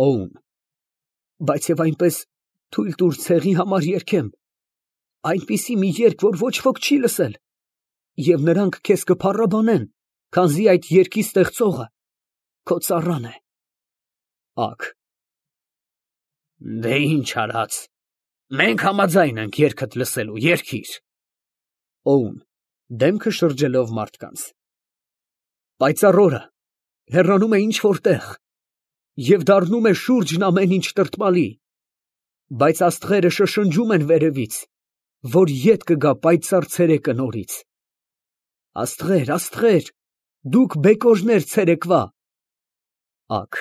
Օուն։ Բայց եւ այնպես թույլ տուր ցեղի համար երգեմ, այնպիսի մի երգ, որ ոչ ոք չի լսել, եւ նրանք քեզ կփառաբանեն, քանզի այդ երգի ստեղծողը քո ծառան է։ Ակ։ Դե ինչ արած, մենք համաձայն ենք երգդ լսելու, երգիր։ Օուն, դեմքը շրջելով մարդկանց։ Պայծառ օրը հեռանում է ինչ-որ տեղ և դառնում է շուրջն ամեն ինչ տրտմալի, բայց աստղերը շշնջում են վերևից, որ ետ կգա պայծառ ցերեկը նորից։ Աստղեր, աստղեր, դուք բեկորներ ցերեկվա։ Ակ։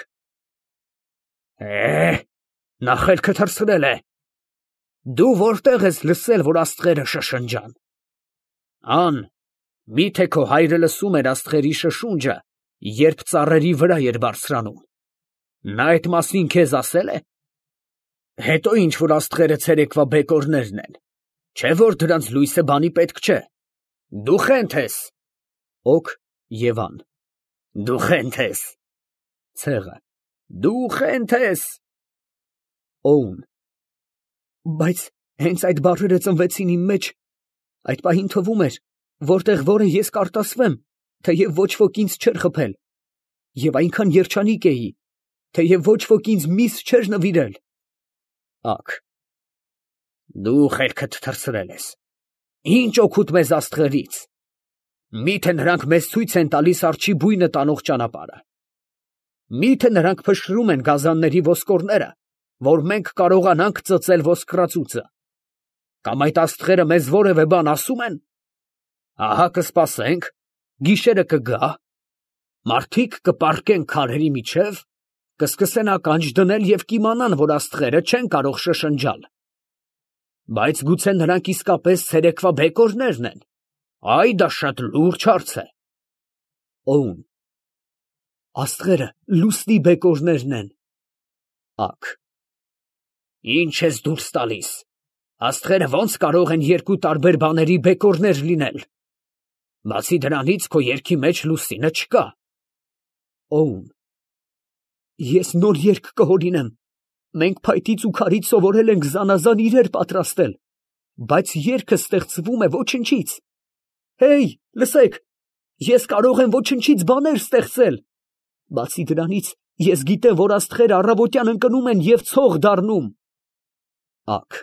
Նա խելքը թռցրել է։ Դու որտեղ ես լսել, որ աստղերը շշնջան։ Ան, միթե քո հայրը լսում էր աստղերի շշունջը, երբ ծառերի վրա էր բարձրանում։ Նա այդ մասին քեզ ասել է։ Հետո ինչ որ աստղերը ցերեկվա բեկորներն են, չէ որ դրանց լույսը բանի պետք չէ։ Դու խենթ ես։ Օք և ան։ Դու խենթ ես։ Ցեղը։ Դու խենթ ես։ Օուն։ Բայց հենց այդ բառերը ծնվեցին իմ մեջ, այդ պահին թվում էր, որտեղ որը ես կարտասվեմ, թեև ոչ ոք ինձ չէր խփել, և այնքան երջանիկ էի, թեև ոչ ոք ինձ միս չէր նվիրել։ Ակ։ Դու խելքդ թռցրել ես։ Ինչ օգուտ մեզ աստղերից։ Միթե նրանք մեզ ցույց են տալիս արջի բույնը տանող ճանապարհը։ Միթե նրանք փշրում են գազանների ոսկորները, որ մենք կարողանանք ծծել ոսկրածուծը։ Կամ այդ աստղերը մեզ որևէ բան ասում են։ Ահա կսպասենք, գիշերը կգա, մարդիկ կպառկեն քարերի միջև, կսկսեն ականջ դնել և կիմանան, որ աստղերը չեն կարող շշնջալ։ Բայց գուցե նրանք իսկապես ցերեկվա բեկորներն են։ Այ դա շատ լուրջ հարց է։ Օուն։ Աստղերը լուսնի բեկորներն են։ Ակ։ Ինչ ես դուրս տալիս։ Աստղերը ո՞նց կարող են երկու տարբեր բաների բեկորներ լինել։ Բացի դրանից քո երգի մեջ լուսինը չկա։ Օուն։ Ես նոր երգ կհորինեմ։ Մենք փայտից ու քարից սովորել ենք զանազան իրեր պատրաստել, բայց երգը ստեղծվում է ոչնչից։ Հեյ, լսեք, ես կարող եմ ոչնչից բաներ ստեղծել։ Բացի դրանից, ես գիտեմ, որ աստղերը առավոտյան ընկնում են և ցող դառնում։ Ակ։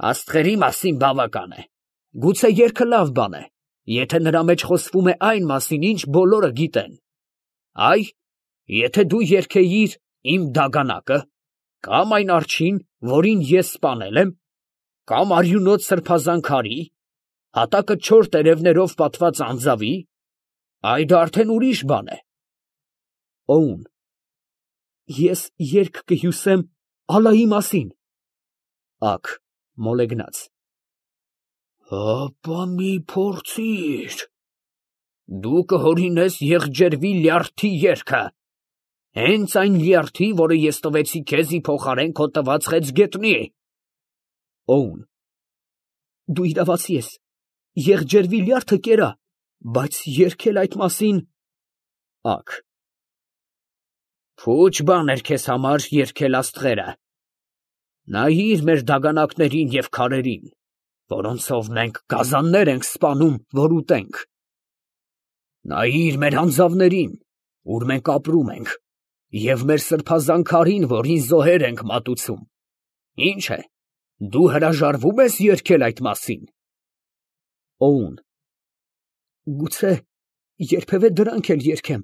Աստղերի մասին բավական է։ Գուցե երգը լավ բան է, եթե նրա մեջ խոսվում է այն մասին, ինչ բոլորը գիտեն։ Այ, եթե դու երգեիր իմ դագանակը, կամ այն արջին, որին ես սպանել եմ, կամ արյունոտ սրբազան քարի, հատակը չոր տերևներով պատված անձավի, այ դա արդեն ուրիշ բան է։ Օուն։ Ես երգ կհյուսեմ Ալլայի մասին։ Ակ, մոլեգնած։ Հապա մի փորձիր։ Դու կհորինես եղջերվի լյարդի երգը, հենց այն լյարդի, որը ես տվեցի քեզի փոխարեն քո տված խեցգետնի։ Օուն։ Դու իրավացի ես, եղջերվի լյարդը կերա, բայց երգել այդ մասին։ Ակ։ Փուչ բան էր քեզ համար երգել աստղերը։ Նայիր մեր դագանակներին և քարերին, որոնցով մենք գազաններ ենք սպանում, որ ուտենք։ Նայիր մեր անձավներին, ուր մենք ապրում ենք, և մեր սրբազան քարին, որին զոհեր ենք մատուցում։ Ինչ է, դու հրաժարվո՞ւմ ես երգել այդ մասին։ Օուն։ Գուցե երբևէ դրանք էլ երգեմ,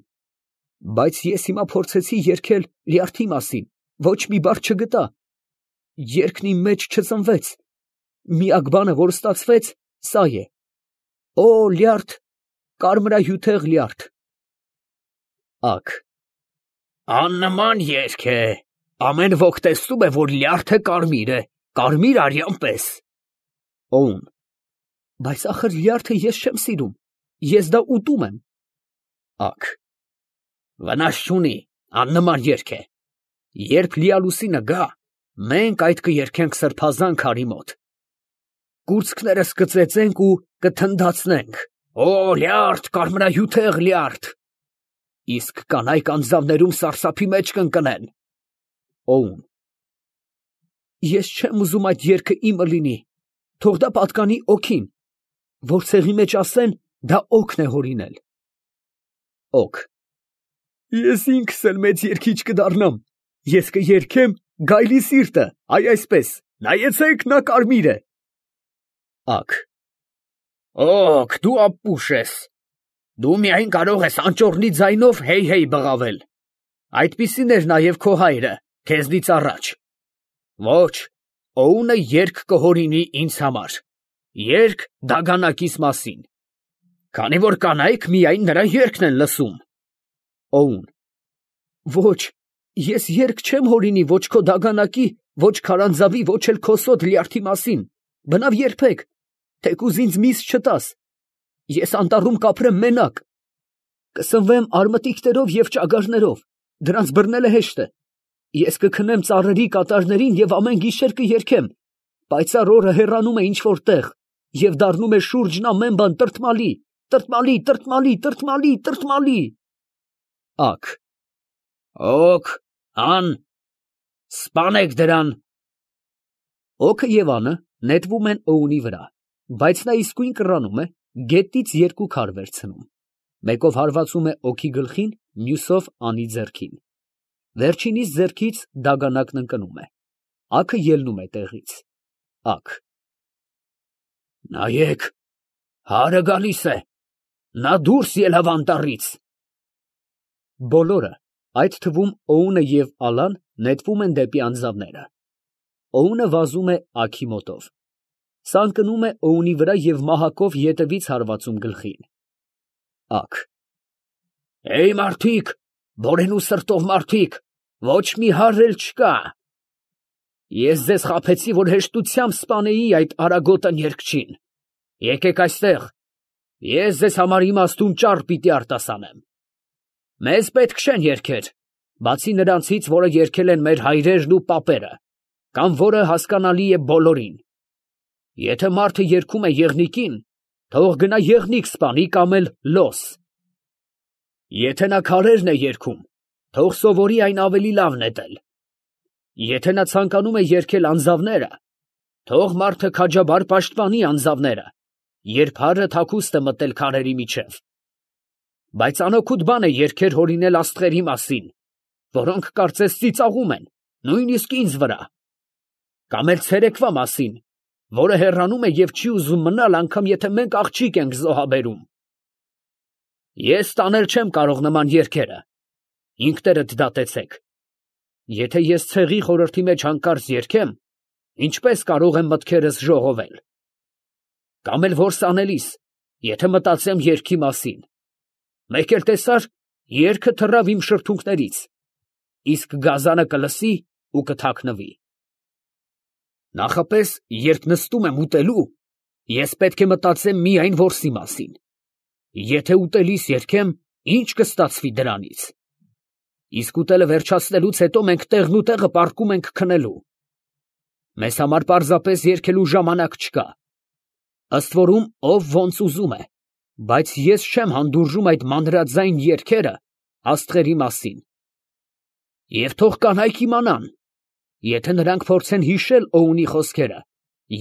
բայց ես հիմա փորձեցի երգել լյարդի մասին, ոչ մի բառ չգտա։ Երգն իմ մեջ չծնվեց։ Միակ բանը, որ ստացվեց, սա է. Օ, լյարդ, կարմրահյութեղ լյարդ։ Ակ։ Աննման երգ է։ Ամեն ոք տեսնում է, որ լյարդը կարմիր է, կարմիր արյան պես։ Օուն։ Բայց ախր լյարդը ես չեմ սիրում, ես դա ուտում եմ։ Ակ։ Վնաս չունի, աննման երգ է։ Երբ լիալուսինը գա, մենք այդ կերգենք սրբազան քարի մոտ։ Կուրծքներս կծեծենք ու կթնդացնենք. Օ, լյարդ, կարմրահյութեղ լյարդ։ Իսկ կանայք անձավներում սարսափի մեջ կընկնեն, Օուն։ Ես չեմ ուզում այդ երգը իմը լինի, թող դա պատկանի օգին, որ ցեղի մեջ ասեն, դա օգն է հորինել։ Օգ։ Ես ինքս էլ մեծ երգիչ կդառնամ, ես կերգեմ գայլի սիրտը, այ այսպես, նայեցեք, նա կարմիր է։ Ակ։ Օգ, դու ապուշ ես, դու միայն կարող ես անճոռնի ձայնով հեյ բղավել, այդպիսին էր նաև քո հայրը, քեզնից առաջ։ Ոչ, Օունը երգ կհորինի ինձ համար, երգ դագանակիս մասին, քանի որ կանայք միայն նրա երգն են լսում։ Օուն։ Ոչ, ես երգ չեմ հորինի ոչ քո դագանակի, ոչ քարանձավի, ոչ էլ քո սոտ լյարդի մասին, բնավ երբեք, թեկուզ ինձ միս չտաս, ես անտառում կապրեմ մենակ, կսնվեմ արմատիկներով և ճագարներով, դրանց բռնելը հեշտ է, ես կքնեմ ծառերի կատարներին և ամեն գիշեր կերգեմ, պայծառ օրը հեռանում է ինչ-որ տեղ և դառնում է շուրջն ամեն բան տրտմալի, տրտմալի, տրտմալի, տրտմալի, տրտմալի։ Ակ։ Օգ, ան, սպանեք դրան։ Օգը և անը նետվում են Օունի վրա, բայց նա իսկույն կռանում է, գետից երկու քար վերցնում, մեկով հարվածում է օգի գլխին, մյուսով անի ձեռքին, վերջինիս ձեռքից դագանակն ընկնում է, ակը ելնում է տեղից։ Ակ։ Նայեք, հարը գալիս է, նա դուրս ելավ անտառից։ Բոլորը, այդ թվում Օունը և ալան, նետվում են դեպի անձավները։ Օունը վազում է ակի մոտով, սա ընկնում է Օունի վրա և մահակով ետևից հարվածում գլխին։ Ակ։ Էյ մարդիկ, բորենու սրտով մարդիկ, ոչ մի հարր էլ չկա։ Ես ձեզ խաբեցի, որ հեշտությամբ սպանեի այդ արագոտն երգչին։ Եկեք այստեղ, ես ձեզ համար իմաստուն ճառ պիտի արտասանեմ։ Մեզ պետք չեն երգեր, բացի նրանցից, որը երգել են մեր հայրերն ու պապերը, կամ որը հասկանալի է բոլորին։ Եթե մարդը երգում է եղնիկին, թող գնա եղնիկ սպանի կամ էլ լոս։ Եթե նա քարերն է երգում, թող սովորի այն ավելի լավ նետել։ Եթե նա ցանկանում է երգել անձավները, թող մարդը քաջաբար պաշտպանի անձավները, երբ հարը թաքուստ է մտել քարերի միջև։ Բայց անօգուտ բան է երգեր հորինել աստղերի մասին, որոնք կարծես ծիծաղում են, նույնիսկ ինձ վրա, կամ էլ ցերեկվա մասին, որը հեռանում է և չի ուզում մնալ, անգամ եթե մենք աղջիկ ենք զոհաբերում։ Ես տանել չեմ կարող նման երգերը, ինքներդ դատեցեք։ Եթե ես ցեղի խորհրդի մեջ հանկարծ երգեմ, ինչպես կարող եմ մտքերս ժողովել։ Կամ էլ որս անելիս, եթե մտածեմ երգի մասին, մեկ էլ տեսար, երգը թռավ իմ շրթունքներից, իսկ գազանը կլսի ու կթաքնվի։ Նախապես, երբ նստում եմ ուտելու, ես պետք է մտածեմ միայն որսի մասին։ Եթե ուտելիս երգեմ, ինչ կստացվի դրանից։ Իսկ ուտելը վերջացնելուց հետո մենք տեղն ու տեղը պառկում ենք քնելու։ Մեզ համար պարզապես երգելու ժամանակ չկա։ Ըստ որում ով ոնց ուզում է, բայց ես չեմ հանդուրժում այդ մանրաձայն երգերը աստղերի մասին։ Եվ թող կանայք իմանան, եթե նրանք փորձեն հիշել Օունի խոսքերը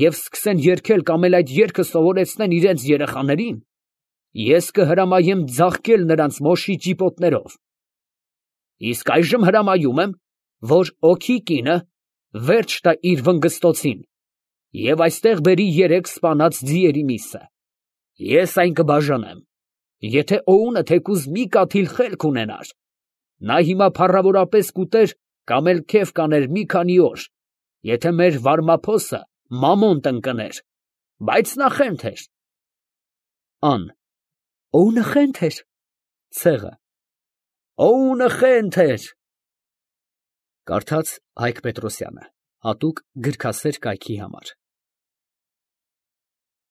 և սկսեն երգել կամ էլ այդ երգը սովորեցնեն իրենց երեխաներին, ես կհրամայեմ ձաղկել նրանց մոշի ճիպոտներով։ Իսկ այժմ հրամայում եմ, որ օգի կինը վերջ տա իր վնգստոցին և այստեղ բերի 3 սպանած ձիերի միսը։ Ես այն կբաժանեմ։ Եթե Օունը թեկուզ մի կաթիլ խելք ունենար, նա հիմա փառավորապես կուտեր կամ էլ քեֆ կաներ մի քանի օր, եթե մեր վարմափոսը մամոն տնկներ, բայց նա խենթ էր։ Ան. Օունը խենթ էր։ Ցեղը. Օունը խենթ էր։ Կարդաց Հայկ Պետրոսյանը, հատուկ գրքասեր կայքի համար։